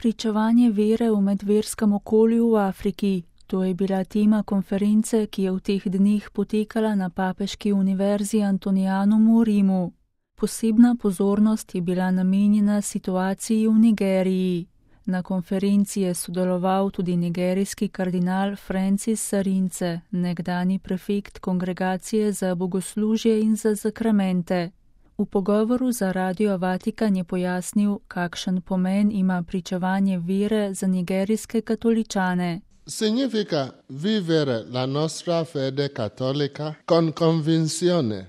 Pričevanje vere v medverskem okolju v Afriki. To je bila tema konference, ki je v teh dneh potekala na Papeški univerzi Antonianum v Rimu. Posebna pozornost je bila namenjena situaciji v Nigeriji. Na konferenci je sodeloval tudi nigerijski kardinal Francis Sarince, nekdani prefekt Kongregacije za bogoslužje in za zakramente. V pogovoru za Radio Vatikan je pojasnil, kakšen pomen ima pričevanje vere za nigerijske katoličane. Significa vivere la nostra fede cattolica con convinzione.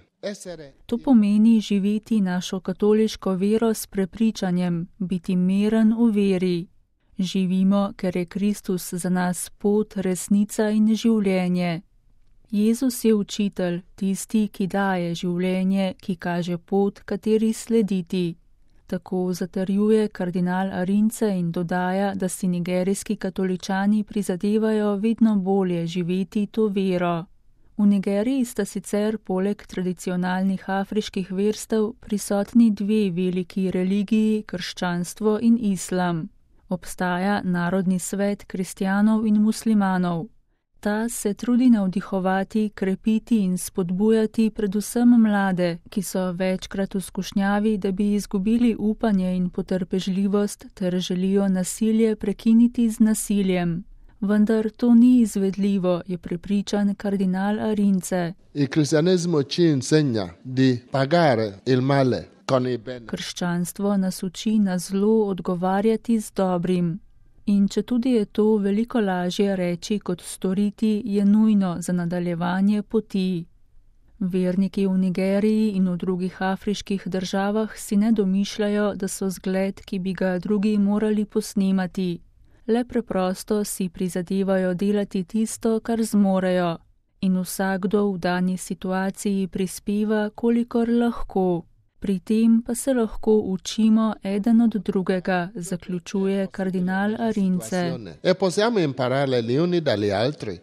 To pomeni živeti našo katoliško vero s prepričanjem, biti miren v veri. Živimo, ker je Kristus za nas pot, resnica in življenje. Jezus je učitelj, tisti, ki daje življenje, ki kaže pot, kateri slediti. Tako zatrjuje kardinal Arince in dodaja, da si nigerijski katoličani prizadevajo vedno bolje živeti to vero. V Nigeriji sta sicer poleg tradicionalnih afriških verstev prisotni dve veliki religiji, krščanstvo in islam. Obstaja Narodni svet kristjanov in muslimanov. Ta se trudi navdihovati, krepiti in spodbujati predvsem mlade, ki so večkrat v skušnjavi, da bi izgubili upanje in potrpežljivost ter želijo nasilje prekiniti z nasiljem. Vendar to ni izvedljivo, je prepričan kardinal Arince. Il cristianesimo ci insegna di pagare il male con il bene. Krščanstvo nas uči na zlo odgovarjati z dobrim. In četudi je to veliko lažje reči kot storiti, je nujno za nadaljevanje poti. Verniki v Nigeriji in v drugih afriških državah si ne domišljajo, da so zgled, ki bi ga drugi morali posnemati. Le preprosto si prizadevajo delati tisto, kar zmorejo. In vsakdo v dani situaciji prispeva, kolikor lahko. Pri tem pa se lahko učimo eden od drugega, zaključuje kardinal Arince. E possiamo imparare gli uni dagli altri.